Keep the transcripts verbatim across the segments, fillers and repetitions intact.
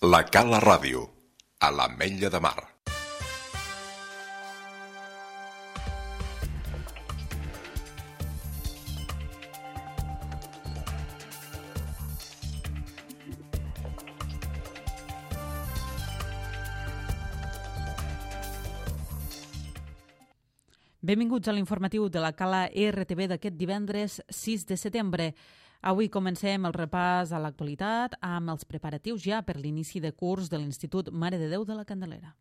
La Cala Ràdio, a l'Ametlla de Mar. Benvinguts a l'informatiu de la Cala R T V d'aquest divendres sis de setembre. Avui comencem el repàs a l'actualitat amb els preparatius ja per l'inici de curs de l'Institut Mare de Déu de la Candelera.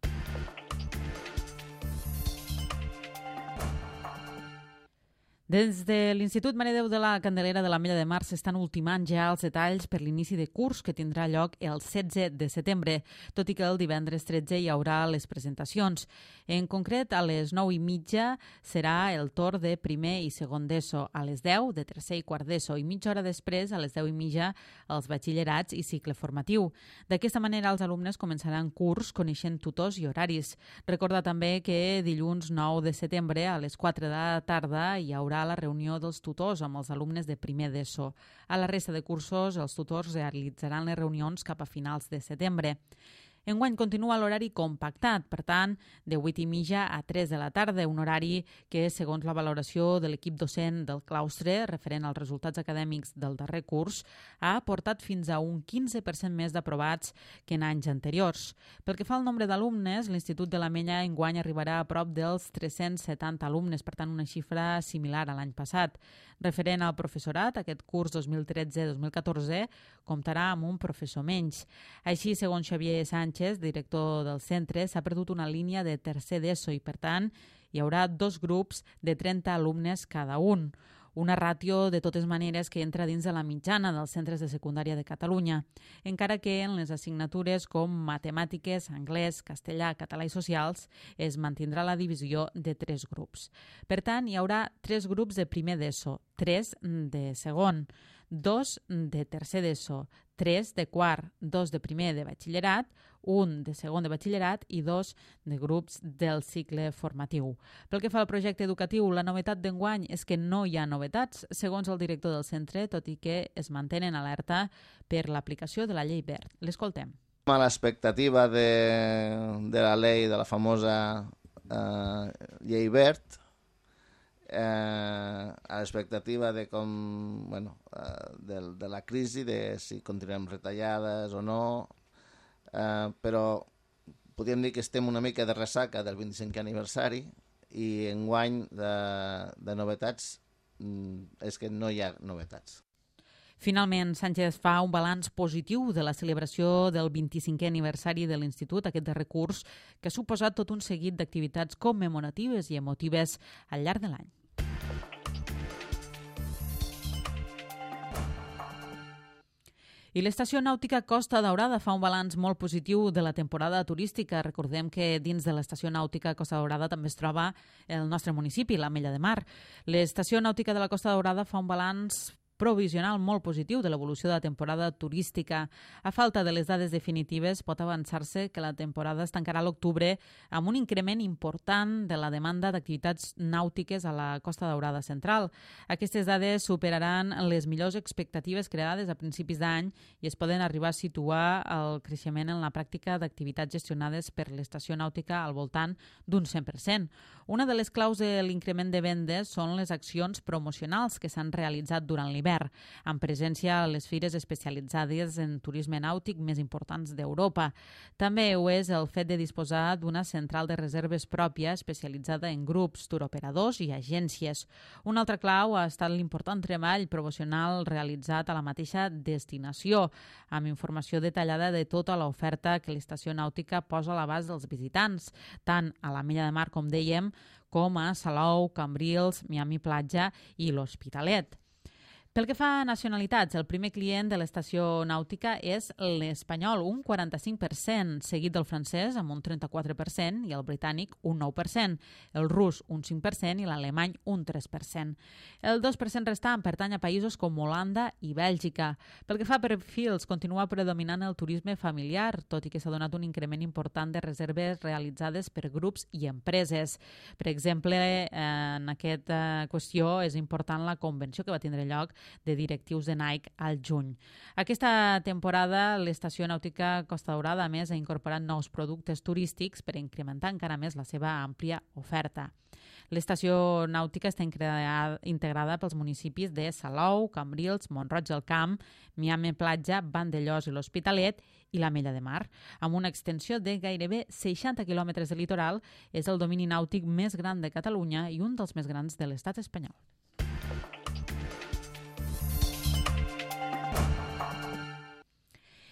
Des de l'Institut Mare de Déu de la Candelera de l'Ametlla de Mar s'estan ultimant ja els detalls per l'inici de curs que tindrà lloc el setze de setembre, tot i que el divendres tretze hi haurà les presentacions. En concret, a les nou i mitja serà el torn de primer i segon d'ESO, a les deu de tercer i quart d'ESO i mitja hora després, a les deu i mitja, els batxillerats i cicle formatiu. D'aquesta manera, els alumnes començaran curs coneixent tutors i horaris. Recorda també que dilluns nou de setembre a les quatre de la tarda hi haurà la reunió dels tutors amb els alumnes de primer d'ESO. A la resta de cursos, els tutors realitzaran les reunions cap a finals de setembre. Enguany continua l'horari compactat, per tant, de vuit i mitja a tres de la tarda, un horari que, segons la valoració de l'equip docent del claustre, referent als resultats acadèmics del darrer curs, ha aportat fins a un quinze per cent més d'aprovats que en anys anteriors. Pel que fa al nombre d'alumnes, l'Institut de l'Ametlla enguany arribarà a prop dels tres-cents setanta alumnes, per tant, una xifra similar a l'any passat. Referent al professorat, aquest curs dos mil tretze dos mil catorze comptarà amb un professor menys. Així, segons Xavier Sánchez, director del centre, s'ha perdut una línia de tercer d'ESO i, per tant, hi haurà dos grups de trenta alumnes cada un. Una ràtio, de totes maneres, que entra dins de la mitjana dels centres de secundària de Catalunya, encara que en les assignatures com matemàtiques, anglès, castellà, català i socials es mantindrà la divisió de tres grups. Per tant, hi haurà tres grups de primer d'ESO, tres de segon, dos de tercer d'ESO, tres de quart, dos de primer de batxillerat, un de segon de batxillerat i dos de grups del cicle formatiu. Pel que fa al projecte educatiu, la novetat d'enguany és que no hi ha novetats, segons el director del centre, tot i que es mantenen alerta per l'aplicació de la llei Wert. L'escoltem. A l'expectativa de, de la llei, de la famosa eh, llei Wert, Eh, a l'expectativa de com, bueno, eh, de, de la crisi, de si continuem retallades o no, eh, però podríem dir que estem una mica de ressaca del vint-i-cinquè aniversari i enguany de, de novetats és que no hi ha novetats. Finalment, Sánchez fa un balanç positiu de la celebració del vint-i-cinquè aniversari de l'Institut, aquest darrer curs, que ha suposat tot un seguit d'activitats commemoratives i emotives al llarg de l'any. I l'estació nàutica Costa Daurada fa un balanç molt positiu de la temporada turística. Recordem que dins de l'estació nàutica Costa Daurada també es troba el nostre municipi, l'Ametlla de Mar. L'estació nàutica de la Costa Daurada fa un balanç provisional molt positiu de l'evolució de la temporada turística. A falta de les dades definitives, pot avançar-se que la temporada es tancarà a l'octubre amb un increment important de la demanda d'activitats nàutiques a la Costa Daurada central. Aquestes dades superaran les millors expectatives creades a principis d'any i es poden arribar a situar el creixement en la pràctica d'activitats gestionades per l'estació nàutica al voltant d'un cent per cent. Una de les claus de l'increment de vendes són les accions promocionals que s'han realitzat durant l'hivern, amb presència a les fires especialitzades en turisme nàutic més importants d'Europa. També ho és el fet de disposar d'una central de reserves pròpia especialitzada en grups, turoperadors i agències. Una altra clau ha estat l'important treball promocional realitzat a la mateixa destinació, amb informació detallada de tota l'oferta que l'estació nàutica posa a l'abast dels visitants, tant a l'Ametlla de Mar, com dèiem, com a Salou, Cambrils, Miami Platja i l'Hospitalet. Pel que fa a nacionalitats, el primer client de l'estació nàutica és l'espanyol, un quaranta-cinc per cent, seguit del francès amb un trenta-quatre per cent i el britànic un nou per cent, el rus un cinc per cent i l'alemany un tres per cent. El dos per cent restant pertany a països com Holanda i Bèlgica. Pel que fa a perfils, continua predominant el turisme familiar, tot i que s'ha donat un increment important de reserves realitzades per grups i empreses. Per exemple, en aquesta qüestió és important la convenció que va tindre lloc de directius de Nike al juny. Aquesta temporada l'estació nàutica Costa Daurada, a més, ha incorporat nous productes turístics per incrementar encara més la seva àmplia oferta. L'estació nàutica està integrada pels municipis de Salou, Cambrils, Mont-roig del Camp, Miami Platja, Vandellòs i l'Hospitalet i l'Ametlla de Mar. Amb una extensió de gairebé seixanta quilòmetres de litoral, és el domini nàutic més gran de Catalunya i un dels més grans de l'estat espanyol.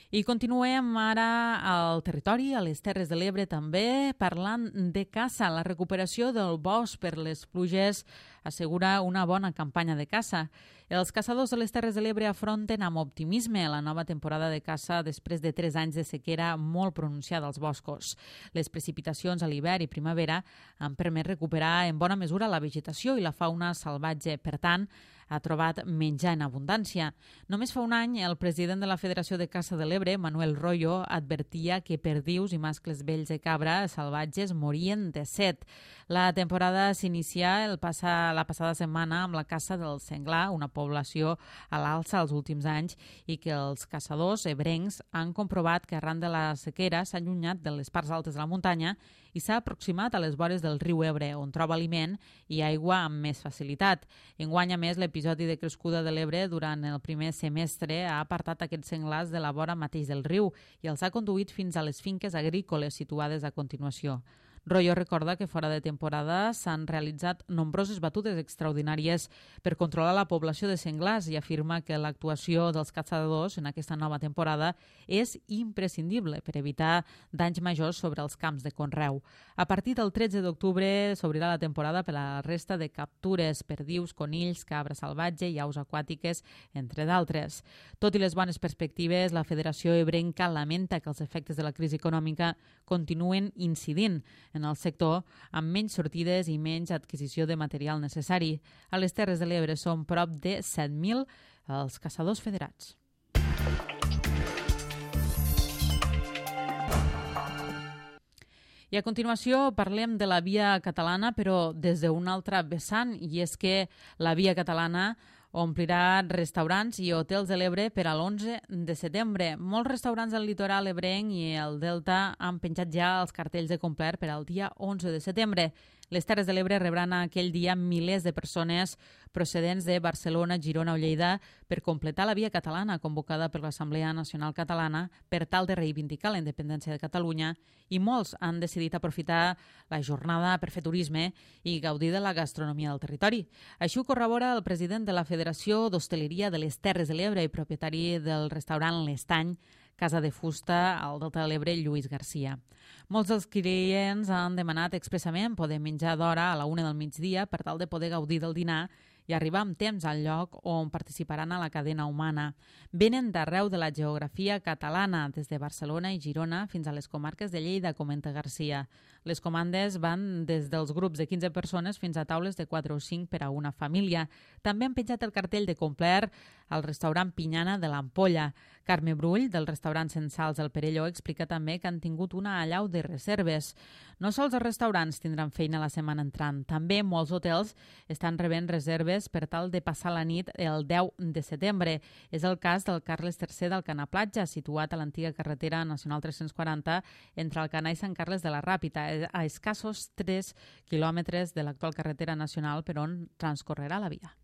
I continuem ara al territori, a les Terres de l'Ebre també, parlant de caça. La recuperació del bosc per les pluges assegura una bona campanya de caça. Els caçadors de les Terres de l'Ebre afronten amb optimisme la nova temporada de caça després de tres anys de sequera molt pronunciada als boscos. Les precipitacions a l'hivern i primavera han permès recuperar en bona mesura la vegetació i la fauna salvatge. Per tant, ha trobat menjar en abundància. Només fa un any, el president de la Federació de Caça de l'Ebre, Manuel Royo, advertia que perdius i mascles vells de cabra salvatges morien de set. La temporada s'inicia el passa, la passada setmana amb la caça del senglar, una població a l'alça els últims anys, i que els caçadors ebrencs han comprovat que arran de la sequera s'ha allunyat de les parts altes de la muntanya i s'ha aproximat a les vores del riu Ebre, on troba aliment i aigua amb més facilitat. Enguany, a més, l'episodi de crescuda de l'Ebre durant el primer semestre ha apartat aquests senglars de la vora mateix del riu i els ha conduït fins a les finques agrícoles situades a continuació. Royo recorda que fora de temporada s'han realitzat nombroses batudes extraordinàries per controlar la població de senglars i afirma que l'actuació dels caçadors en aquesta nova temporada és imprescindible per evitar danys majors sobre els camps de conreu. A partir del tretze d'octubre s'obrirà la temporada per a la resta de captures, perdius, conills, cabra salvatge i aus aquàtiques, entre d'altres. Tot i les bones perspectives, la Federació Ebrenca lamenta que els efectes de la crisi econòmica continuen incidint en el sector, amb menys sortides i menys adquisició de material necessari. A les Terres de l'Ebre són prop de set mil els caçadors federats. I a continuació parlem de la Via Catalana, però des d'un altre vessant, i és que la Via Catalana omplirà restaurants i hotels de l'Ebre per a l'onze de setembre. Molts restaurants del litoral ebrenc i el Delta han penjat ja els cartells de complet per al dia onze de setembre. Les Terres de l'Ebre rebran aquell dia milers de persones procedents de Barcelona, Girona o Lleida per completar la Via Catalana convocada per l'Assemblea Nacional Catalana per tal de reivindicar la independència de Catalunya, i molts han decidit aprofitar la jornada per fer turisme i gaudir de la gastronomia del territori. Així ho corrobora el president de la Federació d'Hostaleria de les Terres de l'Ebre i propietari del restaurant L'Estany, Casa de Fusta, al Delta de l'Ebre, Lluís Garcia. Molts dels clients han demanat expressament poder menjar d'hora a la una del migdia per tal de poder gaudir del dinar i arribar amb temps al lloc on participaran a la cadena humana. Venen d'arreu de la geografia catalana, des de Barcelona i Girona fins a les comarques de Lleida, comenta Garcia. Les comandes van des dels grups de quinze persones fins a taules de quatre o cinc per a una família. També han penjat el cartell de complet al restaurant Pinyana de l'Ampolla. Carme Brull, del restaurant Censals del Perelló, explica també que han tingut una allau de reserves. No sols els restaurants tindran feina la setmana entrant, també molts hotels estan rebent reserves per tal de passar la nit el deu de setembre. És el cas del Carles tercer d'Alcanar Platja, situat a l'antiga carretera nacional tres-cents quaranta entre Alcanar i Sant Carles de la Ràpita, a escassos tres quilòmetres de l'actual carretera nacional per on transcorrerà la via.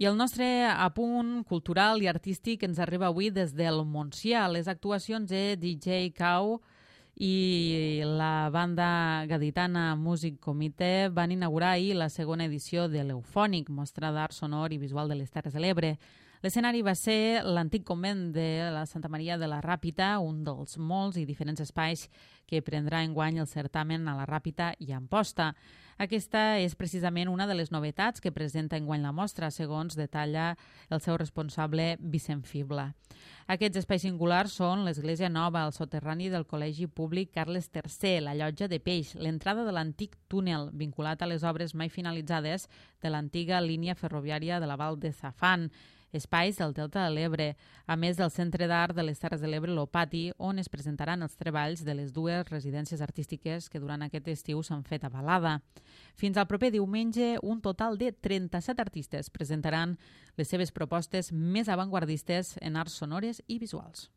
I el nostre apunt cultural i artístic ens arriba avui des del Montsià. Les actuacions de D J Cow i la banda gaditana Music Comité van inaugurar ahir la segona edició de l'Eufònic, mostra d'art sonor i visual de les Terres de l'Ebre. L'escenari va ser l'antic convent de la Santa Maria de la Ràpita, un dels molts i diferents espais que prendrà enguany el certamen a la Ràpita i Amposta. Aquesta és precisament una de les novetats que presenta enguany la mostra, segons detalla el seu responsable Vicent Fibla. Aquests espais singulars són l'Església Nova, el soterrani del Col·legi Públic Carles tercer, la Llotja de Peix, l'entrada de l'antic túnel vinculat a les obres mai finalitzades de l'antiga línia ferroviària de la Val de Zafán, espais del Delta de l'Ebre, a més del Centre d'Art de les Terres de l'Ebre, l'Opati, on es presentaran els treballs de les dues residències artístiques que durant aquest estiu s'han fet a Balada. Fins al proper diumenge, un total de trenta-set artistes presentaran les seves propostes més avantguardistes en arts sonores i visuals.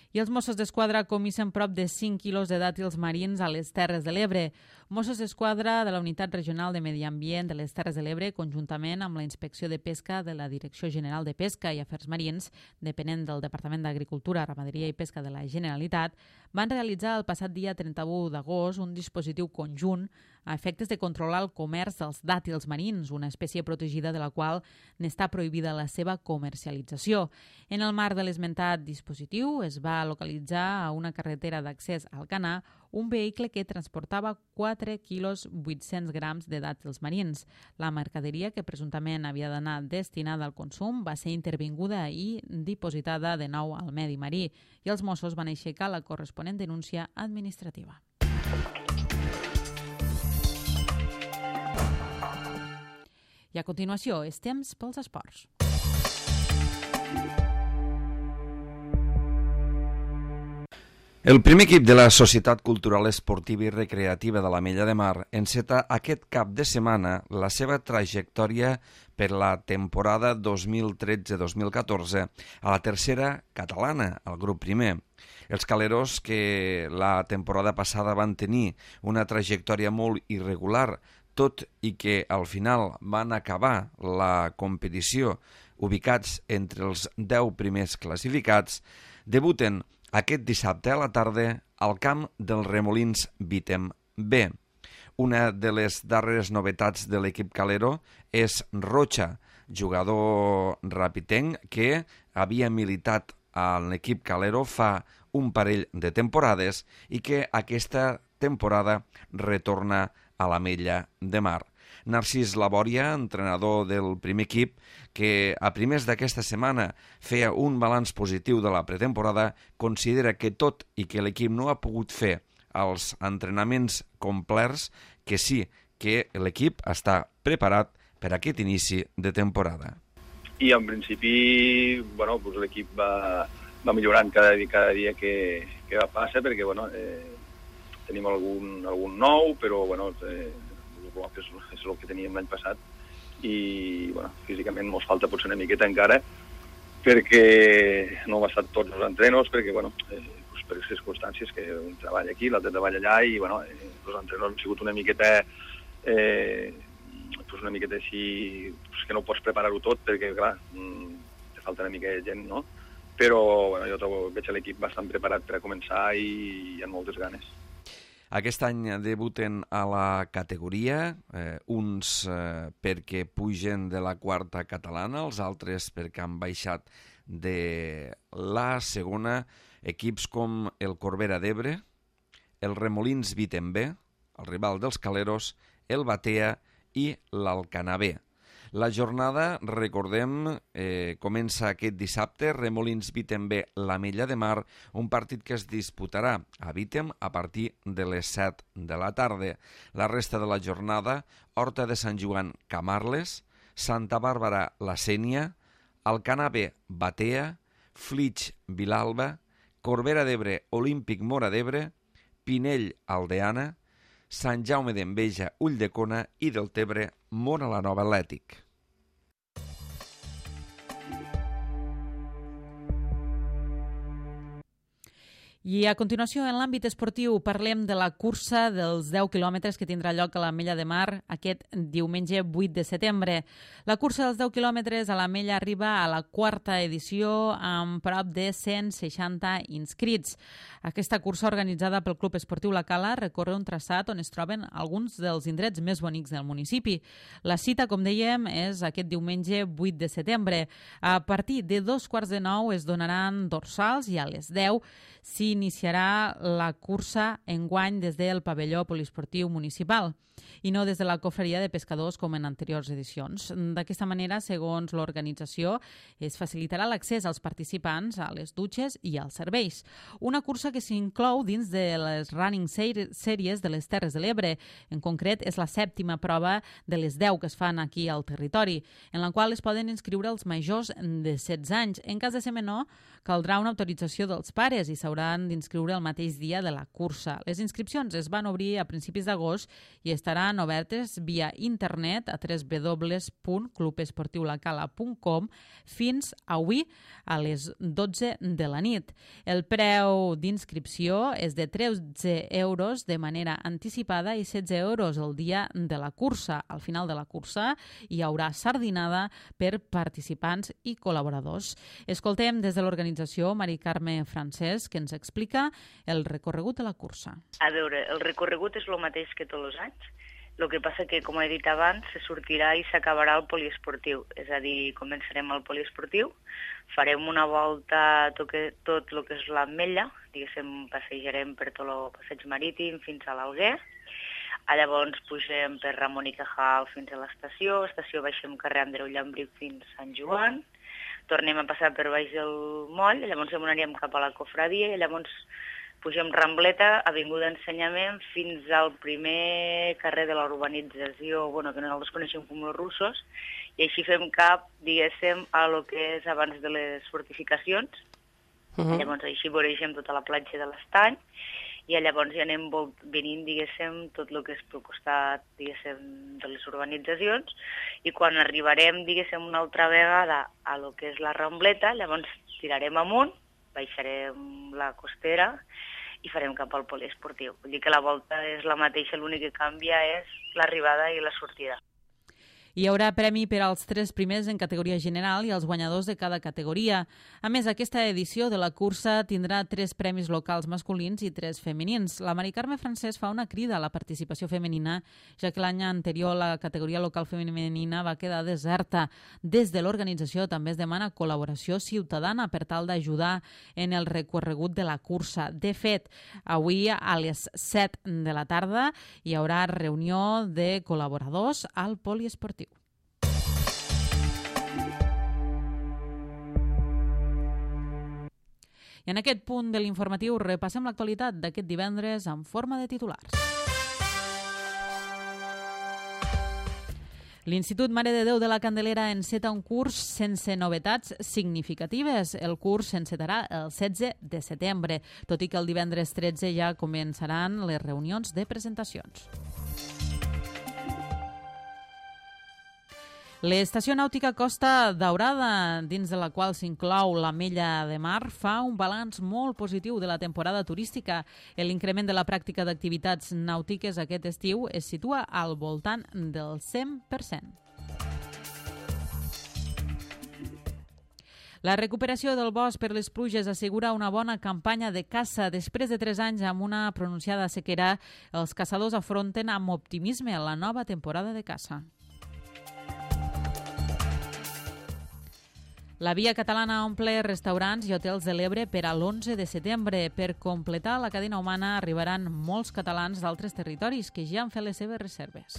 I els Mossos d'Esquadra comissen prop de cinc quilos de dàtils marins a les Terres de l'Ebre. Mossos d'Esquadra de la Unitat Regional de Medi Ambient de les Terres de l'Ebre, conjuntament amb la Inspecció de Pesca de la Direcció General de Pesca i Afers Marins, depenent del Departament d'Agricultura, Ramaderia i Pesca de la Generalitat, van realitzar el passat dia trenta-u d'agost un dispositiu conjunt a efectes de controlar el comerç dels dàtils marins, una espècie protegida de la qual n'està prohibida la seva comercialització. En el marc de l'esmentat dispositiu es va localitzar a una carretera d'accés al Canà un vehicle que transportava quatre quilos vuit-cents grams de dàtils marins. La mercaderia, que presumptament havia d'anar destinada al consum, va ser intervinguda i dipositada de nou al medi marí i els Mossos van aixecar la corresponent denúncia administrativa. I a continuació, és temps pels esports. El primer equip de la Societat Cultural Esportiva i Recreativa de l'Ametlla de Mar enceta aquest cap de setmana la seva trajectòria per la temporada dos mil tretze dos mil catorze a la tercera catalana, al grup primer. Els caleros, que la temporada passada van tenir una trajectòria molt irregular, tot i que al final van acabar la competició ubicats entre els deu primers classificats, debuten aquest dissabte a la tarda al camp dels Remolins Vítem B. Una de les darreres novetats de l'equip calero és Rocha, jugador rapitenc que havia militat a l'equip calero fa un parell de temporades i que aquesta temporada retorna a l'Ametlla de Mar. Narcís Labòria, entrenador del primer equip, que a primers d'aquesta setmana feia un balanç positiu de la pretemporada, considera que tot i que l'equip no ha pogut fer els entrenaments complets, que sí que l'equip està preparat per a aquest inici de temporada. I en principi, bueno, pues l'equip va, va millorant cada dia, cada dia que, que va passar, perquè bueno, eh, tenim algun, algun nou, però bueno, eh, és, és el que teníem l'any passat i bueno, físicament ens falta potser una miqueta encara perquè no hem estat tots els entrenos, perquè bueno, eh, pues per circumstàncies que un treballa aquí, l'altre treballa allà i bueno, eh, els entrenos han sigut una miqueta eh, pues una miqueta així pues que no pots preparar-ho tot perquè clar, te falta una mica de gent, no? Però bueno, jo trobo, veig l'equip bastant preparat per a començar i, i amb moltes ganes. Aquest any debuten a la categoria, eh, uns eh, perquè pugen de la quarta catalana, els altres perquè han baixat de la segona, equips com el Corbera d'Ebre, el Remolins Vítem B, el rival dels caleros, el Batea i l'Alcanar B. La jornada, recordem, eh, comença aquest dissabte, Remolins Vítem B, l'Ametlla de Mar, un partit que es disputarà a Vítem a partir de les set de la tarda. La resta de la jornada, Horta de Sant Joan, Camarles, Santa Bàrbara, La Sénia, Alcanar B, Batea, Flix, Vilalba, Corbera d'Ebre, Olímpic Móra d'Ebre, Pinell, Aldeana, Sant Jaume d'Enveja, Ulldecona i Deltebre, Móra la Nova Atlètic. I a continuació, en l'àmbit esportiu, parlem de la cursa dels deu quilòmetres que tindrà lloc a l'Ametlla de Mar aquest diumenge vuit de setembre. La cursa dels deu quilòmetres a l'Ametlla arriba a la quarta edició amb prop de cent seixanta inscrits. Aquesta cursa, organitzada pel Club Esportiu La Cala, recorre un traçat on es troben alguns dels indrets més bonics del municipi. La cita, com dèiem, és aquest diumenge vuit de setembre. A partir de dos quarts de nou es donaran dorsals i a les deu s'iniciarà la cursa enguany des del pavelló poliesportiu municipal i no des de la cofreria de pescadors com en anteriors edicions. D'aquesta manera, segons l'organització, es facilitarà l'accés als participants a les dutxes i als serveis. Una cursa que s'inclou dins de les Running Series de les Terres de l'Ebre. En concret, és la sèptima prova de les deu que es fan aquí al territori, en la qual es poden inscriure els majors de setze anys. En cas de ser menor, caldrà una autorització dels pares i s'hauran d'inscriure el mateix dia de la cursa. Les inscripcions es van obrir a principis d'agost i estaran obertes via internet a w w w punt club esportiu la cala punt com fins avui a les dotze de la nit. El preu d'inscripció és de tretze euros de manera anticipada i setze euros el dia de la cursa. Al final de la cursa hi haurà sardinada per participants i col·laboradors. Escoltem des de l'organització Mari Carme Francesc, que ens explica el recorregut de la cursa. A veure, el recorregut és el mateix que tots els anys. El que passa que, com he dit abans, se sortirà i s'acabarà el poliesportiu. És a dir, començarem el poliesportiu, farem una volta tot, que, tot el que és l'Ametlla, diguéssim, passejarem per tot el passeig marítim fins a l'Alguer. Llavors pugem per Ramon i Cajal fins a l'estació, estació baixem carrer Andreu Llambric fins a Sant Joan, tornem a passar per baix del moll, llavors anirem cap a la cofradia i llavors pugem Rambleta, Avinguda Ensenyament, fins al primer carrer de la urbanització, bueno, que nosaltres coneixem com els russos, i així fem cap, diguéssim, a lo que és abans de les fortificacions. Uh-huh. Llavors així voreixem tota la platja de l'Estany, i llavors ja anem venint, diguéssim, tot el que és pel costat, diguéssim, de les urbanitzacions, i quan arribarem, diguéssim, una altra vegada a lo que és la Rambleta, llavors tirarem amunt, baixarem la costera i farem cap al poliesportiu. Vull dir que la volta és la mateixa, l'únic que canvia és l'arribada i la sortida. Hi haurà premi per als tres primers en categoria general i els guanyadors de cada categoria. A més, aquesta edició de la cursa tindrà tres premis locals masculins i tres femenins. La Mari Carme Francesc fa una crida a la participació femenina, ja que l'any anterior la categoria local femenina va quedar deserta. Des de l'organització també es demana col·laboració ciutadana per tal d'ajudar en el recorregut de la cursa. De fet, avui a les set de la tarda hi haurà reunió de col·laboradors al poliesportiu. I en aquest punt de l'informatiu repassem l'actualitat d'aquest divendres en forma de titulars. L'Institut Mare de Déu de la Candelera enceta un curs sense novetats significatives. El curs s'encetarà el setze de setembre, tot i que el divendres tretze ja començaran les reunions de presentacions. L'estació nàutica Costa Daurada, dins de la qual s'inclou l'Ametlla de Mar, fa un balanç molt positiu de la temporada turística. L'increment de la pràctica d'activitats nàutiques aquest estiu es situa al voltant del cent per cent. La recuperació del bosc per les pluges assegura una bona campanya de caça. Després de tres anys amb una pronunciada sequera, els caçadors afronten amb optimisme la nova temporada de caça. La Via Catalana omple restaurants i hotels de l'Ebre per a l'onze de setembre. Per completar la cadena humana arribaran molts catalans d'altres territoris que ja han fet les seves reserves.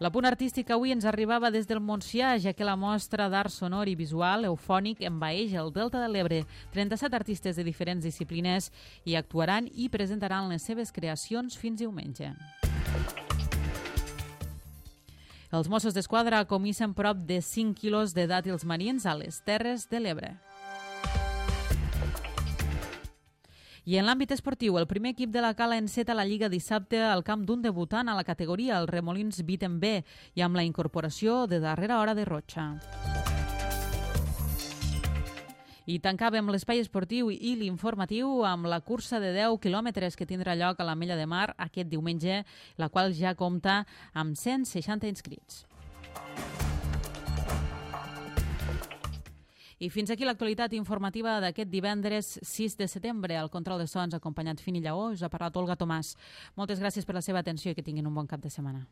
L'apunt artístic avui ens arribava des del Montsià, ja que la mostra d'art sonor i visual eufònic envaeix el Delta de l'Ebre. trenta-set artistes de diferents disciplines hi actuaran i presentaran les seves creacions fins diumenge. Els Mossos d'Esquadra comissen prop de cinc quilos de dàtils marins a les Terres de l'Ebre. I en l'àmbit esportiu, el primer equip de la Cala enceta la Lliga dissabte al camp d'un debutant a la categoria, el Remolins Viten B, i amb la incorporació de darrera hora de Rocha. I tancàvem l'espai esportiu i l'informatiu amb la cursa de deu quilòmetres que tindrà lloc a l'Ametlla de Mar aquest diumenge, la qual ja compta amb cent seixanta inscrits. I fins aquí l'actualitat informativa d'aquest divendres sis de setembre. Al control de sons, acompanyat Fini Lleó, us ha parlat Olga Tomàs. Moltes gràcies per la seva atenció i que tinguin un bon cap de setmana.